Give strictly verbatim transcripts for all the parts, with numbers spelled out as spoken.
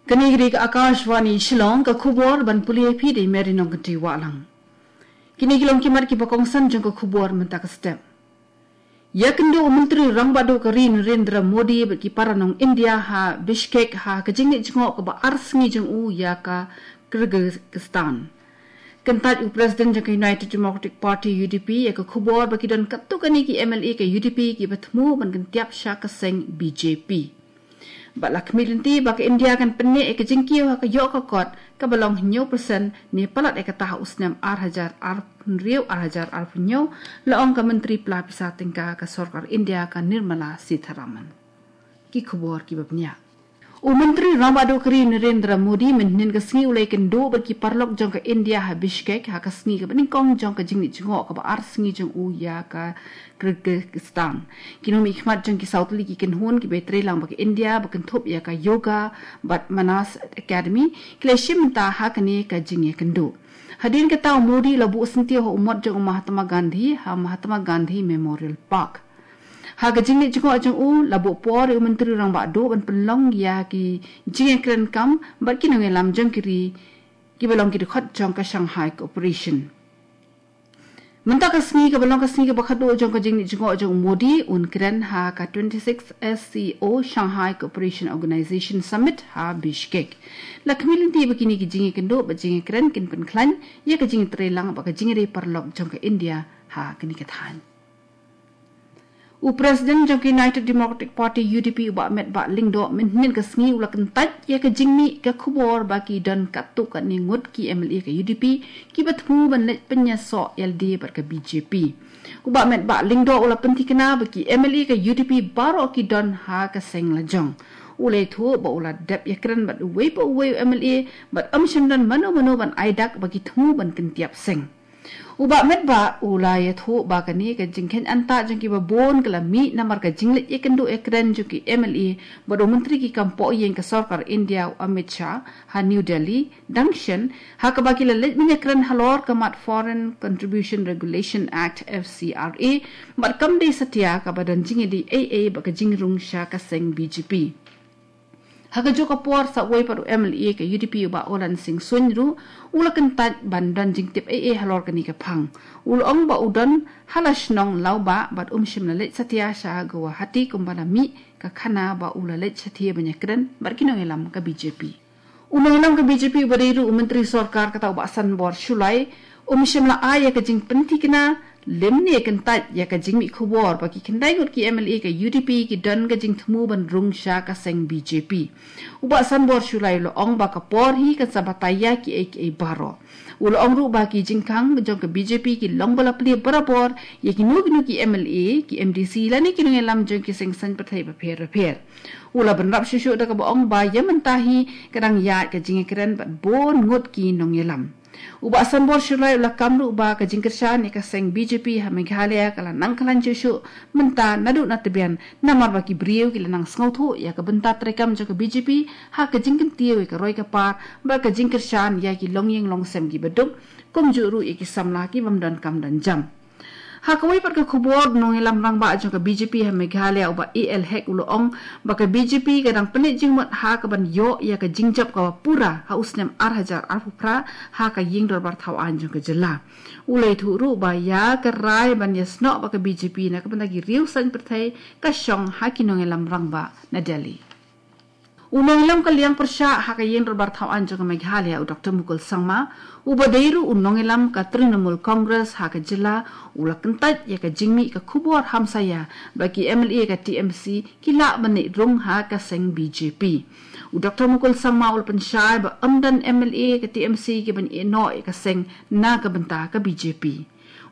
Kane ka dei ka Akashvani Shillong, ka khubor ban pule ïa phi da i Mary Nongkynrih Wahlang. Kine ki long ki mat kiba kongsan jong ka khubor mynta ka step. Ïakynduh u Myntri Rangbah Duh ka ri Narendra Modi bad ki para nong India ha Bishkek ha ka jingleit jngoh kaba ar sngi jong u ïa ka Kyrgyzstan. Kyntait u President jong ka United Democratic Party, U D P, ïa ka khubor ba ki don katto katne ki M L A ka U D P kiba thmu ban kyntiap sha ka seng B J P. Bad la khmih lynti ba ka India kan pynneh ïa ka jingkiew ha ka ïoh ka kot kaba long hynñiew percent ne palat ïa kata ha u snem ar hajar arphew hynriew ar hajar arphew hynñiew, la ong ka Myntri Pla Pisa Tyngka ka Sorkar India ka Nirmala Sitharaman. Ki khubor kiba bniah. U Myntri Rangbah Duh ka ri Narendra Modi mynhynnin ka sngi u la ïakynduh bad ki paralok jong ka India ha Bishkek ha ka sngi kaba nyngkong jong ka jingleit jngoh kaba ar sngi jong u ïa ka Kyrgyzstan. Ki nongmihkhmat jong ki saw tylli ki kynhun kiba trei lang bad ka India ba kynthup ïa ka Yoga bad Manas Academy ki la shim bynta ha kane ka jingïakynduh. Hadien kata u Modi la buh syntiew ha u mot jong u Mahatma Gandhi ha Mahatma Gandhi Memorial Park. Ha ka jingleit jngoh jong u la buh por ïa u Myntri Rangbah Duh ban pynlong ïa ki jingïakren kam bad ki nongïalam jong ki ri kiba long ki dkhot jong ka Shanghai Cooperation. Mynta ka sngi kaba long ka sngi kaba khatduh jong ka jingleit jngoh jong u Modi un kren ha ka twenty-six S C O Shanghai Cooperation Organization Summit ha Bishkek. La khmih lynti ba kine ki jingïakynduh bad jingïakren kin pynkhlaiñ ïa ka jingtrei lang bad ka jingïadei paralok jong ka India ha kane ka thaiñ. U President jong ka United Democratic Party, U D P, u Bah Metbah Lyngdoh mynhynnin ka sngi u la kyntait ïa ka jingmih ka khubor ba ki don katto katne ngut ki M L A ka U D P kiba thmu ban leit pynïasoh ïalade bad ka B J P. U Bah Metbah Lyngdoh u la pynthikna ba ki M L A ka U D P baroh ki don ha ka seng lajong. U la ïathuh ba u la dep ïakren bad uwei pa uwei u M L A bad ym shym don mano mano ban ai dak ba ki thmu ban kyntiap seng. U Bah Metbah u la ïathuh ba kane ka jingkheiñ antah jong kiba bun ka la mih namar ka jingleit ïakynduh ïakren jong ki M L A bad u Myntri ki kam pohïing ka Sorkar India u Amit Shah ha New Delhi dang shen ha kaba ki la leit ban ïakren halor ka mat Foreign Contribution Regulation Act, F C R A, bad kam dei satia kaba don jingïadei ei ei bad ka jingrung sha ka seng B J P. Ha kajuh ka por sa uwei pat u M L A ka U D P u Bah Olan Singh Suin ruh u la kyntait ban don jingtip ei ei halor kane ka phang. U la ong ba u don ha la shnong Lawbah bad um shym la leit satia sha Guwahati kumba la mih ka khana ba u la leit shathie ban ïakren bad ki nongïalam ka B J P. U nongïalam ka B J P uba dei ruh u Myntri Sorkar kata u Bah Sanbor Shullai um shym la ai ïa ka jingpynthikna lymne kyntait ïa ka jingmih khubor ba ki khyndai ngut ki M L A ka U D P ki don ka jingthmu ban rung sha ka seng B J P. U Bah Sanbor Shullai u la ong ba ka por hi kan sa batai ïa kiei kiei baroh. U la ong ruh ba ki jingkhang jong ka B J P ki long ba la plie barabor ïa kino kino ki M L A, ki M D C lane ki nongïalam jong ki seng saiñ pyrthei bapher bapher. U la bynrap shuh shuh da kaba ong ba ïa mynta hi ka dang ïaid ka jingïakren bad bun ngut ki nongïalam. U Bah Sanbor Shullai u la kam ruh ba ka jingkyrshan ïa ka seng B J P ha Meghalaya ka la nang khlaiñ shuh shuh mynta naduh na tbian namar ba ki briew ki la nang sngewthuh ïa ka bynta treikam jong ka B J P ha ka jingkyntiew ïa ka roi ka par bad ka jingkyrshan ïa ki longïing longsem kiba duk kumjuh ruh ïa ki samla ki bym don kam don jam. Ha kawei pat ka khubor, nongïalam rangbah jong ka B J P ha Meghalaya u Bah A L Hek u la ong ba ka B J P ka dang pynleit jingmut ha kaban ïoh ïa ka jingjop kaba pura ha u snem ar hajar arphew phra ha ka ïing dorbar thaw aiñ jong ka jylla. U la ïathuh ruh ba ïa ka rai ban ïasnoh bad ka B J P na ka bynta ki riew saiñ pyrthei ka shong ha ki nongïalam rangbah na Delhi. U nongïalam ka liang pyrshah ha ka ïing dorbar thaw aiñ jong ka Meghalaya u Doktor Mukul Sangma, uba dei ruh u nongïalam ka Trinamool Congress ha ka jylla, u la kyntait ïa ka jingmih ka khubor hamsaïa ba ki M L A ka T M C ki lah ban leit rung ha ka seng B J P. U Doktor Mukul Sangma u la pynshai ba ym don M L A ka T M C ki ban ïehnoh ïa ka seng na ka bynta ka B J P.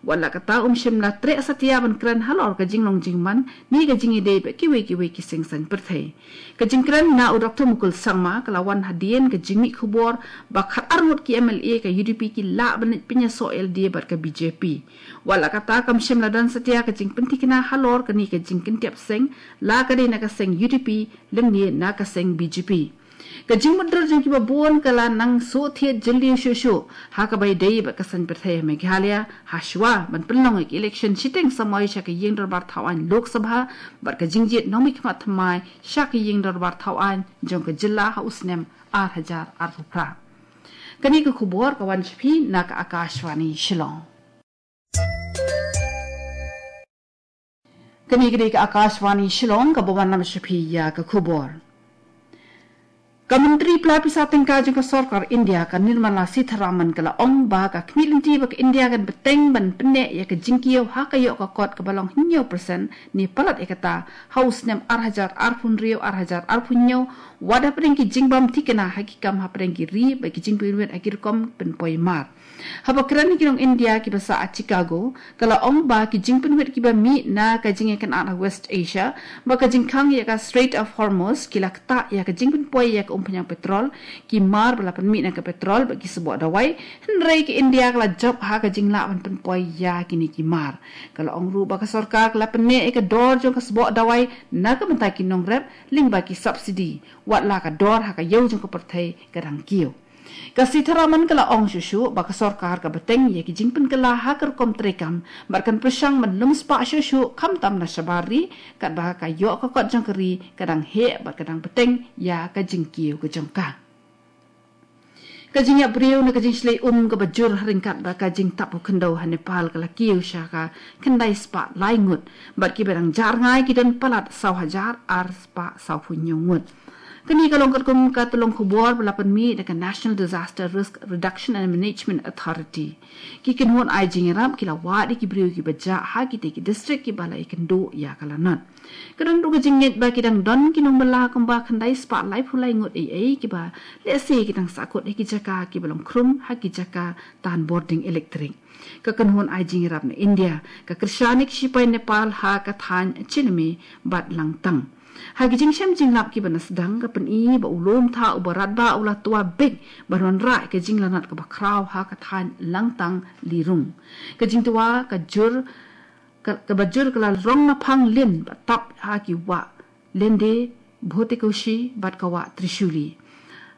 Wat la kata um shym la treh satia ban kren halor ka jinglong jingman ne ka jingïadei bad kiwei kiwei ki seng saiñ pyrthei. Ka jingkren na u Doktor Mukul Sangma ka la wan hadien ka jingmih khubor ba khatar ngut ki M L A ka U D P ki lah ban leit pynïasoh ïalade bad ka B J P. Wat la kata kam shym la don satia ka jingpynthikna halor kane ka jingkyntiap seng, la ka dei na ka seng U D P lymne na ka seng B J P. Ka jingmutdur jong kiba bun ka la nang shu thied jylliew shuh shuh ha kaba ïadei bad ka seng pyrthei ha Meghalaya, ha shuwa ban pynlong ïa ka election shiteng samoi sha ka ïing dorbar thaw aiñ Lok Sabha bad ka jingjied nongmihkhmat thymmai sha ka ïing dorbar thaw aiñ jong ka jylla ha u snem ar hajar arphew phra. Kane ka khubor ka wan sha phi na ka Akashvani Shillong. Kane ka dei ka Akashvani Shillong kaba wan lam sha phi ïa ka khubor. Ka Myntri Pla Pisa Tyngka jong ka Sorkar India ka Nirmala Sitharaman ka la ong ba ka khmih lynti ba ka India kan bteng ban pynneh ïa ka jingkiew ha ka ïoh ka kot kaba long hynñiew percent ne palat ïa kata ha u snem ar hajar arphew hynriew ar hajar arphew hynñiew, wat hapdeng ki jingbym thikna ha ki kam hapdeng ki ri bad ki jingpynwit ha ki rukom pynpoi mar. Haba kren ïa ki nong India kiba sah ha Chicago, ka la ong ba ki jingpynwit kiba mih na ka jingïakynad ha West Asia bad ka jingkhang ïa ka Strait of Hormuz ki la ktah ïa ka jingpynpoi ïa ka umphniang petrol, ki mar ba la pynmih na ka petrol bad ki sboh dawai, hynrei ka India ka la jop ha ka jinglah ban pynpoi ïa kine ki mar. Ka la ong ruh ba ka sorkar ka la pynneh ïa ka dor jong ka sboh dawai na ka bynta ki nongrep lyngba ki subsidy, wat la ka dor ha ka ïew jong ka pyrthei ka dang kiew. Ka Sitharaman ka la ong shuh shuh ba ka sorkar ka bteng ïa ki jingpynkylla ha ka rukom treikam bad kan pyrshang ban lum spah shuh shuh khamtam na shabar ri, katba ka ïoh ka kot jong ka ri ka dang heh bad ka dang bteng ïa ka jingkiew ka jong ka. Ka jingïap briew ne ka jingshlei um kaba jur ha ryngkat bad ka jingtap u khyndew ha Nepal ka la kiew sha ka khyndai spah lai ngut bad kiba dang jar ngai ki don palat saw hajar ar spah saw phew hynñiew ngut. Kane ka long katkum ka tyllong khubor ba la pynmih da ka National Disaster Risk Reduction and Management Authority. Ki kynhun ai jingïarap ki la wad ïa ki briew kiba jah ha kitei ki district kiba la ïakynduh ïa ka lanot. Ka don ruh ka jingngeit ba ki dang don ki nongbylla kumba khyndai spah laiphew lai ngut ei ei kiba lehse ki dang sahkut ha ki jaka kiba long khrum ha ki jaka tan bording elektrik. Ka kynhun ai jingïarap na India ka kyrshan ïa ki shipai Nepal ha ka thaiñ Chineme bad Langtang. Ha ki jingshem jinglap kiba na sdang ka pyni ba u lum tha uba radbah u la twa beit ban wanrah ïa ka jinglanot kaba khraw ha ka thaiñ Langtang Lirung. Ka jingtwa ka jur ka, kaba jur ka la rong na phang lin ba tap ha ki wah Lende, Bhotekoshi bad ka wah Trishuli.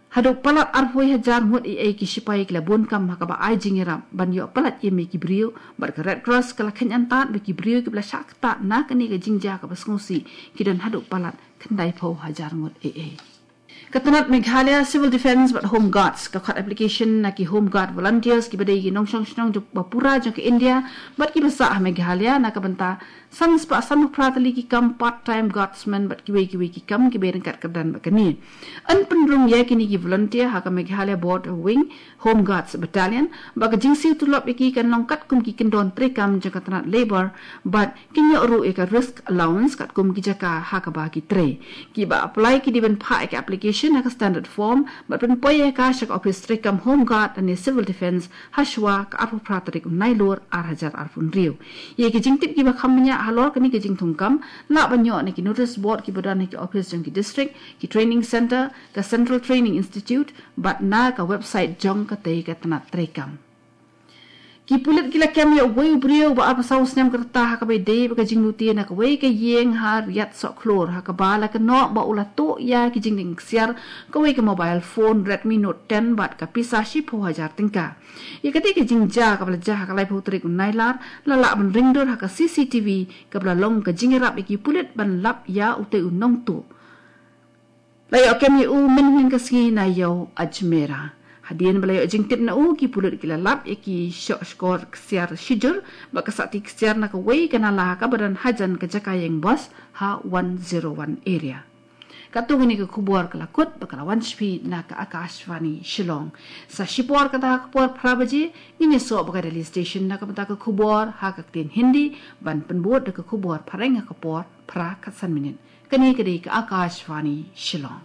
Haduh palat arphew hajar ngut ei ei ki shipai ki la bun kam ha kaba ai jingïarap ban ïoh palat ïa me ki briew bad ka Red Cross ka la kheiñ antad ba ki briew kiba la shah ktah na kane ka jingjia kaba sngewsih ki don haduh palat khyndai phew hajar ngut ei ei. Ka tnat Meghalaya Civil Defence bad Home Guards ka khot application na ki Home Guard volunteers kiba dei ki nongshong shnong jong ba pura jong ka India bad kiba sah ha Meghalaya na ka bynta san spah san phew phra tylli ki kam part time guardsmen bad kiwei kiwei ki kam kiba ryngkat kyrdan bad kane. Yn pynrung ïa kine ki volunteer ha ka Meghalaya Border Wing Home Guards Battalion bad ka jingsiew tulop ïa ki kan long katkum ki kyndon treikam jong ka tnat labour bad kin ïoh ruh ïa ka risk allowance katkum ki jaka ha kaba ki trei. Kiba apply ki dei ban phah ïa ka application ha ka standard form bad pynpoi ïa ka sha ka ophis treikam Home Guard ne Civil Defence ha shuwa ka arphew phra tarik u Nailur ar hajar arphew hynriew. Ïa ki jingtip kiba kham bniah halor kane ka jingthungkam lah ban ïoh na ki notice board kiba don ha ki ophis jong ki district, ki training centre, ka Central Training Institute bad na ka website jong katei ka tnat treikam. Ki pulit ki la kem ïa uwei u briew ba arphew saw snem ka rta ha kaba ïadei bad ka jinglute na kawei ka ïing ha Riat Sohkhlur ha kaba la kynnoh ba u la tuh ïa ki jingdeng ksiar kawei ka mobile phone Redmi Note ten bad ka pisa shiphew hajar tyngka. Ïa katei ka jingjia kaba la jia ha ka laiphew tarik u Nailar la lah ban ring dur ha ka C C T V kaba la long ka jingïarap ïa ki pulit ban lap ïa utei u nongtuh. La ïoh kem ïa u mynhynnin ka sngi na ïew Ajmera. Hadien ba la ïoh jingtip na u ki pulit ki la lap ïa ki shoh shkor ksiar shijur bad ka sahti ksiar na kawei ka nala kaba don hajan ka jaka ïeng bos ha one zero one area. Katto katne ka khubor ka la kut bad ka la wan sha phi na ka Akashvani Shillong. Sa shipor kata ha ka por phra baje ngin ïasoh bad ka Delhi Station na ka bynta ka khubor ha ka ktien Hindi ban pynbud da ka khubor phareng ha ka por phra khatsan minit. Kane ka dei ka Akashvani Shillong.